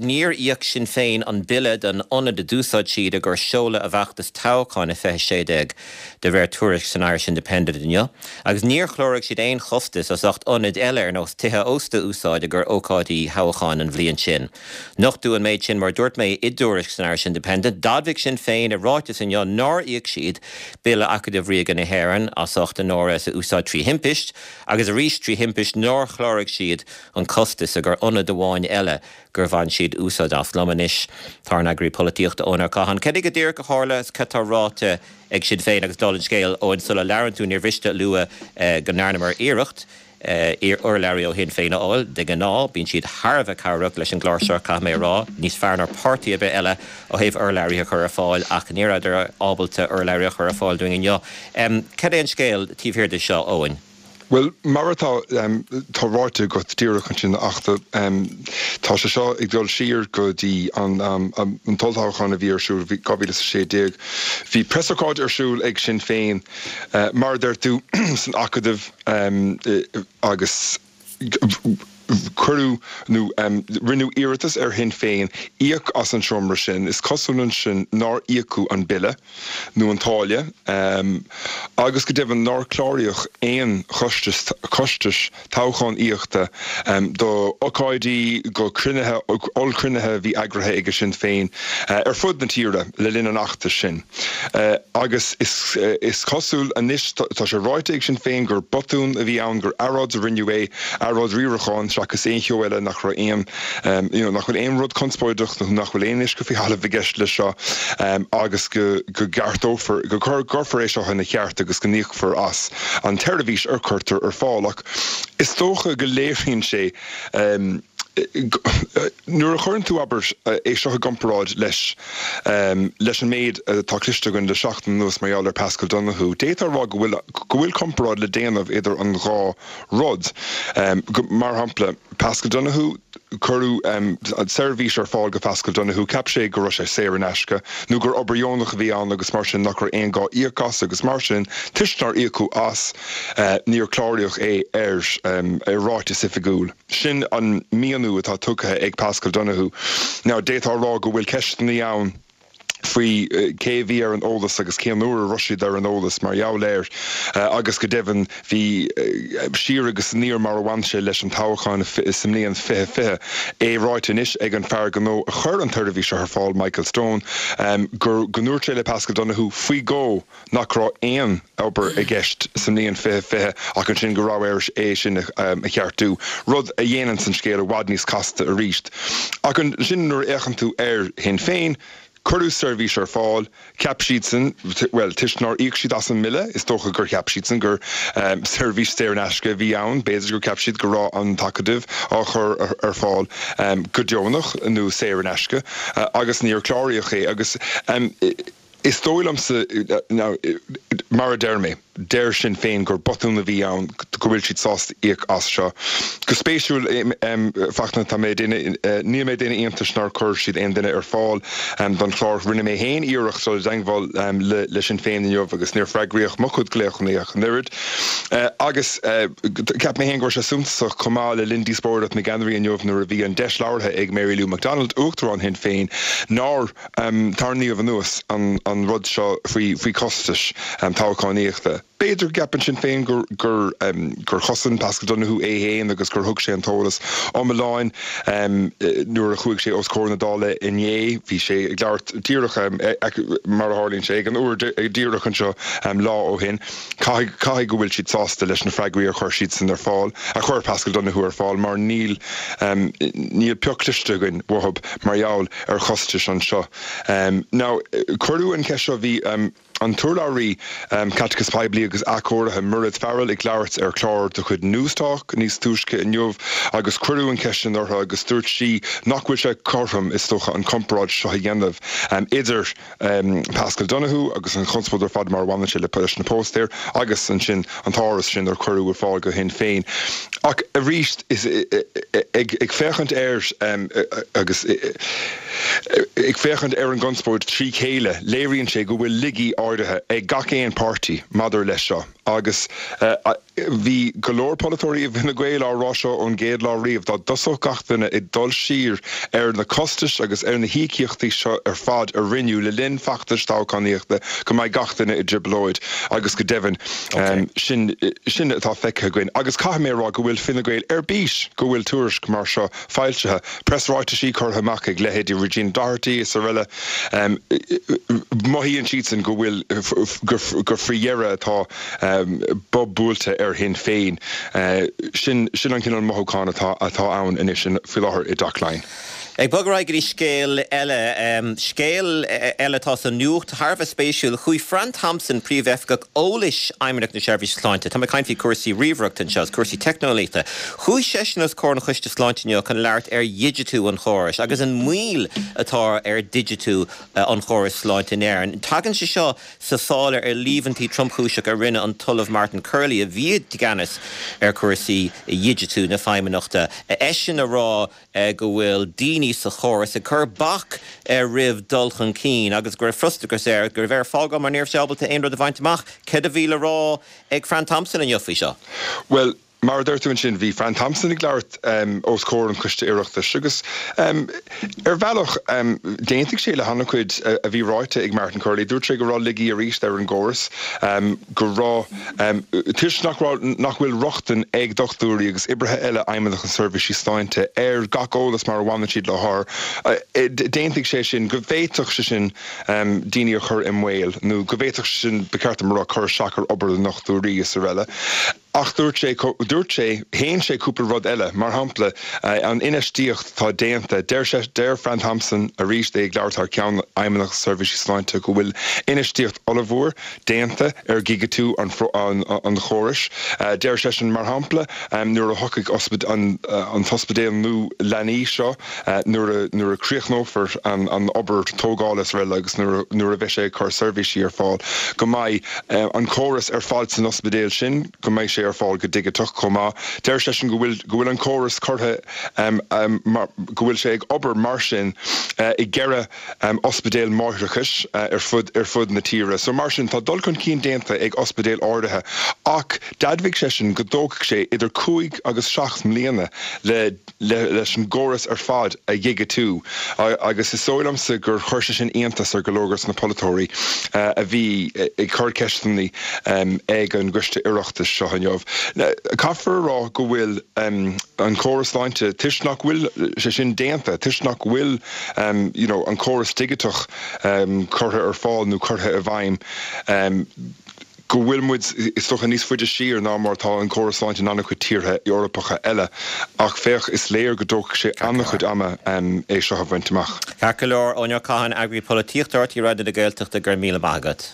níor íoc Sinn Féin an bille don ionad a d'úsáid siad i gcomhair seoladh a bhfeachtas toghcháin i 2016, de réir tuairisc san Irish Independent inniu, agus níor chláraigh siad aon chostas as ucht ionaid eile ar nós tithe ósta a úsáid i gcomhair ócáidí thoghcháin an bhliain sin. Nochtadh an méid sin, mar a dúirt mé, i dtuairisc san Irish Independent. D'admhaigh Sinn Féin i ráiteas inniu nár íoc siad bille Acadamh Ríoga na hÉireann as ucht a n-áras a úsáid trí thimpist, agus arís trí thimpist nár chláraigh siad an costas i gcomhair ionad amháin eile gur bhain siad úsáid as. Liom anois tá ár n-eagraí polaitíochta Eoin Ó Catháin. Cad é go díreach a tharla is cad tá ráite ag Sinn Féin agus dála an scéil, Eoin, sula labhrann tú níor mhiste a lua go ndearnamar iarracht urlabhraí ó Shinn Féin a fháil. De ghnáth bíonn siad thar a bheith cabhrach leis an gclár seo, caithfidh mé a rá, níos fearr ná páirtí ar bith eile ó thaobh urlabhraithe a chur ar fáil ach ní rabhadar ábalta urlabhraí a chur ar fáil dúinn inniu. Cad é an scéal taobh thiar de seo, Eoin? Bhuel, mar atá, tá ráite agat díreach ansin, a Fhachtna, tá sé seo ag dul siar go dtí an t-olltoghchán a bhí ar siúl i 2016. Bhí preasócáid ar siúl ag Sinn Féin, mar a deir tú, san Acadamh agus cuireadh nó rinneadh iarratas ar Shinn Féin íoc as an seomra sin. Is cosúil ansin nár íocadh an bille nó an táille agus go deimhin nár cláraíodh aon chostais toghchánaíochta do ócáidí, go cruinnithe, ollchruinnithe a bhí eagraithe ag Sinn Féin ar fud na tíre le linn an fheachtais sin. Agus is cosúil anois, tá sé ráite ag Sinn Féin gur botún a bhí ann, gur earráid a rinneadh é, earráid riaracháin seachas aon cheo eile, nach raibh aon, you know, nach bhfuil aon rud conspóideach nó nach bhfuil aon uisce faoi thalamh i gceist leis seo agus go gceartófar, go gcuirfear é seo ina cheart agus go n-íocfar as an tseirbhís a chuirtear ar fáil. Ach is dócha go léiríonn sé, nuair a chuireann tú, abair, é seo i gcomparáid leis leis an méid atá cloiste againn le seachtain anuas mar gheall ar Paschal Donohoe, d'fhéadfá a rá go bhfuil go bhfuil comparáid le déanamh idir an dhá rud. Mar shampla, Paschal Donohoe, cuireadh seirbhís ar fáil go Paschal Donohoe, cheap sé go raibh sé saor in aisce nó gur obair dheonach a bhí ann agus mar sin nach raibh aon ghá íoc as agus mar sin toisc nár íocadh as níor cláraíodh é ar ar ráiteas oifigiúil. Sin an míniú atá tugtha ag Paschal Donohoe. Now d'fhéadfá a rá go bhfuil ceisteanna ann faoi cé a bhí ar an eolas agus cén uair a raibh siad ar an eolas mar gheall air agus go deimhin bhí siar agus aniar mar a bhain sé leis an toghchán sa mbliain 2020. É ráite anois ag an fear gnó a chuir an tseirbhís seo ar fáil, Michael Stone, gur go ndúirt sé le Paschal Donohoe faoi dhó nach raibh aon obair i gceist sa mbliain 2020 ach ansin go raibh air é sin a cheartú, rud a dhéananns an scéal i bhfad níos casta arís. Ach ansin nuair a fhéachann tú ar Shinn Féin, cuireadh seirbhís ar fáil, cheap siadsan, bhuel, toisc nár íoc siad as an mbille, is dócha gur cheap siadsan gur seirbhís saor in aisce a bhí ann, b'fhéidir gur cheap siad go raibh an tAcadamh á chur ar fáil go deonach nó saor in aisce agus níor cláraíodh é agus. Is dóigh liomsa, now, mar a deir mé, deir Sinn Féin gur botún a bhí ann, go bhfuil siad sásta íoc as seo. Go spéisiúil, Fachtna, tá mé ag déanamh, níl mé ag déanamh iontais nár chuir siad aon duine ar fáil don chlár. Rinne mé féin iarracht dul i dteagmháil le Sinn Féin inniu agus níor freagraíodh mo chuid glaochanna ach an oiread. Agus cheap mé féin go raibh sé suntasach chomh maith le linn díospóireacht na gceannairí inniu nuair a bhí an deis labhartha ag Mary Lou McDonald, Uachtarán Shinn Féin, nár Tarraingíodh anuas an rud seo faoi chostais toghchánaíochta. B'fhéidir go gceapann Sinn Féin gur chosain Paschal Donohoe é féin agus gur thug sé an t-eolas iomlán nuair a chuaigh sé os comhair na Dála inné. Bhí sé ag labhairt díreach, mar a tharlaíonn sé, ag an uair díreach anseo lá ó shin. Caithfidh, caithfidh go bhfuil siad sásta leis na freagraí a chuir siadsan ar fáil, a chuir Paschal Donohoe ar fáil mar níl, níl pioc cloiste againn uathu mar gheall ar chostais anseo. Now, cuireadh an cheist seo, bhí an t-urlabhraí Caiteachais Poiblí agus Athchóirithe, Mairéad Farrell, ag labhairt ar chlár de chuid Newstalk níos túisce inniu agus cuireadh an cheist sin uirthi agus dúirt sí nach bhfuil sé cothrom, is dócha, an comparáid seo a dhéanamh idir Paschal Donohoe agus an chonspóid ar fad mar a bhaineann sé leis na póstaeir agus ansin an t-áras sin ar cuireadh ar fáil go Shinn Féin. Ach arís, ag féachaint air agus ag féachaint ar an gconspóid trí chéile, léiríonn sé go bhfuil laigí áirithe. áirithe ag gach aon páirtí maidir leis seo agus bhí go leor polaiteoirí i bhFine Gael á rá seo ón gcéad lá riamh, dá dtosódh gach duine ag dul siar ar na costais agus ar na híocaíochtaí seo ar fad a rinneadh le linn feachtais toghchánaíochta go mbeidh gach duine i dtrioblóid agus go deimhin sin sin atá feicthe againn. Agus caithfidh mé a rá go bhfuil Fine Gael ar bís go bhfuil tuairisc mar seo foilsithe, preasráitisí curtha amach ag leithéidí Regina Doherty is araile. Mothaíonn siadsan go bhfuil, gur faoi dheireadh atá bob buailte ar Shinn Féin. Sin an cineál mothúchán atá ann anois faoi láthair i dTeach Laighean. Ag bogadh ar aghaidh go dtí scéal eile, scéal eile atá sa nuacht, thar a bheith spéisiúil. Chuaigh Fran Thompson, Príomh-Oifigeach Eolais Fheidhmeannacht na Seirbhíse Sláinte, tá mé ag caint faoi chúrsaí ríomhaireachta anseo agus cúrsaí teicneolaíochta, chuaigh seisean os comhair an Choiste Sláinte inniu chun labhairt ar dhigitiú an chórais agus an mhoill atá ar dhigitiú an chórais sláinte in Éirinn. Tagann sé seo sa sáil ar líomhaintí tromchúiseach a rinne an tOllamh Martin Curley, a bhí i gceannas ar chúrsaí dhigitiú na Feidhmeannachta, eisean a rá go bhfuil daoine sa chóras ag cur bac roimh dul chun cinn agus go raibh frustrachas air go raibh air fágáil mar ní raibh sé ábalta aon rud a bhaint amach. Céard a bhí le rá ag Fran Thompson inniu faoi seo? Bhuel, mar a deir tú ansin, bhí Fran Thompson ag labhairt os comhair an Choiste Oireachtais agus ar bhealach d'aontaigh sé le han-chuid a bhí ráite ag Martin Curley. Dúirt sé go raibh laigí arís ar an gcóras, go raibh Toisc nach raibh, nach bhfuil rochtain ag dochtúirí agus oibrithe eile Fheidhmeannacht na Seirbhísí Sláinte ar gach eolas mar a bhaineann siad le hothair, d'aontaigh sé sin go bhféadfadh sé sin daoine a chur i mbaol nó go bhféadfadh sé sin, ba cheart dom a rá, cur isteach ar obair na ndochtúirí is araile. Ach dúirt sé, dúirt sé, shéan sé cúpla rud eile, mar shampla, an infheistíocht atá déanta. Deir sé, deir Fran Thompson, arís é ag labhairt thar ceann Fheidhmeannacht na Seirbhísí Sláinte, go bhfuil infheistíocht ollmhór déanta ar dhigitiú an chórais. Deir seisean, mar shampla, nuair a thiocfaidh an t-ospidéal nua leanaí seo, nuair a chríochnófar an obair tógála is araile agus nuair a bheidh sé ag cur seirbhísí ar fáil, go mbeidh an córas ar fad san ospidéal sin, go mbeidh sé ar fáil go digiteach chomh maith. Deir seisean go bhfuil go bhfuil an córas curtha go bhfuil sé ag obair mar sin i gceithre ospidéal máithreachais ar fud ar fud na tíre. So mar sin, tá dul chun cinn déanta ag ospidéil áirithe ach d'admhaigh seisean go dtógfaidh sé idir cúig agus seacht mbliana le leis an gcóras ar fad a dhigitiú agus is dóigh liomsa gur chuir sé sin iontas ar go leor de na polaiteoirí a bhí ag cur ceisteanna ag an gCoiste Oireachtais seo inniu. Caithfear a rá go bhfuil an córas sláinte, toisc nach bhfuil sé sin déanta, toisc nach bhfuil you know an córas digiteach curtha ar fáil nó curtha i bhfeidhm, go bhfuil muid, is dócha, níos faide siar ná mar atá an córas sláinte in an-chuid tíortha Eorpacha eile. Ach féach, is léir go dtógfaidh sé an-chuid ama é seo a bhaint amach. Ceart go leor, Eoin Ó Catháin, Eagraí Polaitíochta RTÉ Raidió na Gaeltachta, go raibh míle maith agat.